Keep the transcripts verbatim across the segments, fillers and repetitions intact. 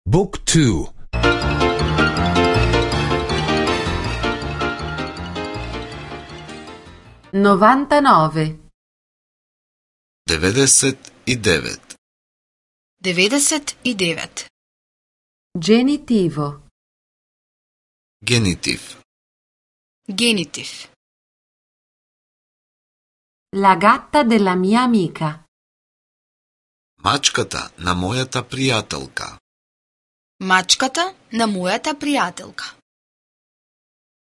Book two. novantanove. деветдесет и девет. деветдесет и девет. Genitivo. Генитив. Генитив. La gatta della mia amica. Мачката на мојата пријателка. Мачката на мојата пријателка.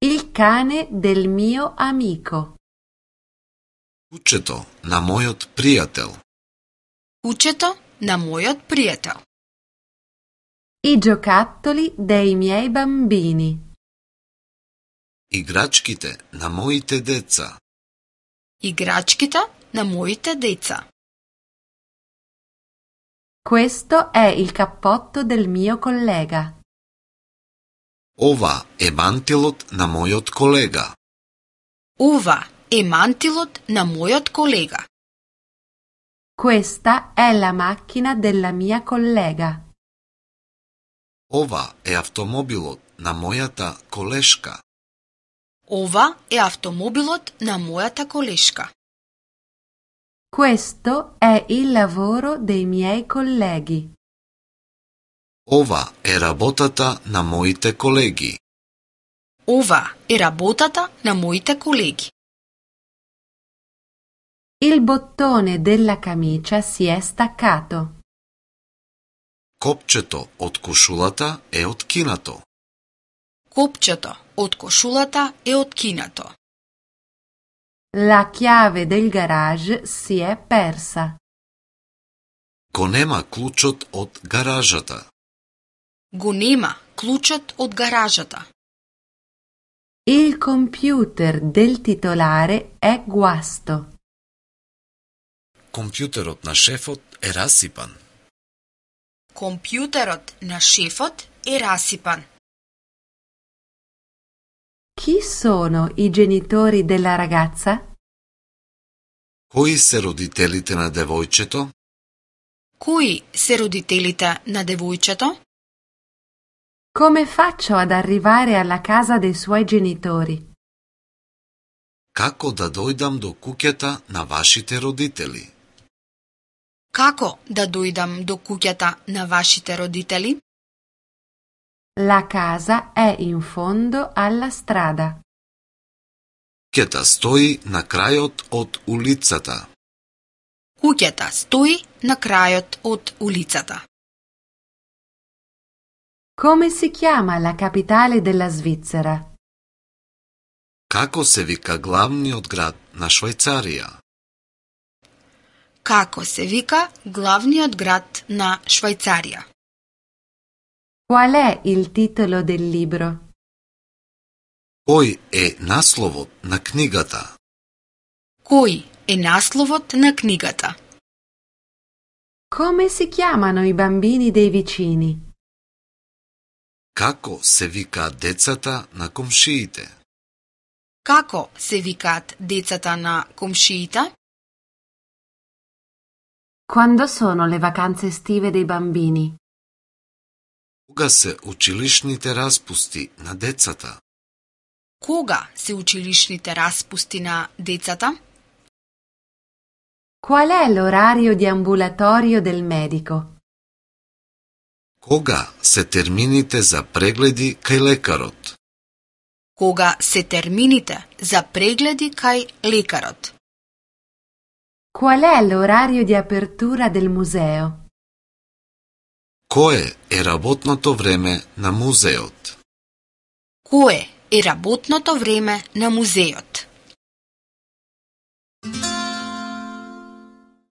Il cane del mio amico. Кучето на мојот пријател. Кучето на мојот пријател. I giocattoli dei miei bambini. Играчките на моите деца. Играчките на моите деца. Questo è il cappotto del mio collega. Ова е мантилот на мојот колега. Ова е мантилот на мојот колега. Questa è la macchina della mia collega. Ова е автомобилот на мојата колешка. Ова е автомобилот на мојата колешка. Questo è il lavoro dei miei colleghi. Ова е работата на моите колеги. Ова е работата на моите колеги. Il bottone della camicia si è staccato. Копчето од кошулата е откинато. Копчето од кошулата е откинато. La chiave del garage si è persa. Го нема клучот од гаражата. Го нема клучот од гаражата. Il computer del titolare è guasto. Компјутерот на шефот е расипан. Компјутерот на шефот е расипан. Chi sono i genitori della ragazza? Кои се родителите на девојчето? Кои се родителите на девојчето? Come faccio ad arrivare alla casa dei suoi genitori? Како да дојдам до куќата на вашите родители? Како да дојдам до куќата на вашите родители? La casa è in fondo alla strada. Куќата стои на крајот од улицата. Куќата стои на крајот од улицата. Come si chiama la capitale della Svizzera? Како се вика главниот град на Швајцарија? Како се вика главниот град на Швајцарија? Qual è il titolo del libro? Кој е насловот на книгата? Кој е насловот на книгата? Come si chiamano i bambini dei vicini? Како се викаат децата на комшиите? Како се викаат децата на комшиите? Quando sono le vacanze estive dei bambini? Кога се училишните распусти на децата? Кога се училишните распусти на децата? Qual è l'orario di ambulatorio del medico? Кога се термините за прегледи кај лекарот? Кога се термините за прегледи кај лекарот? Qual è l'orario di apertura del museo? Кое е работното време на музеот? Кое е работното време на музеот?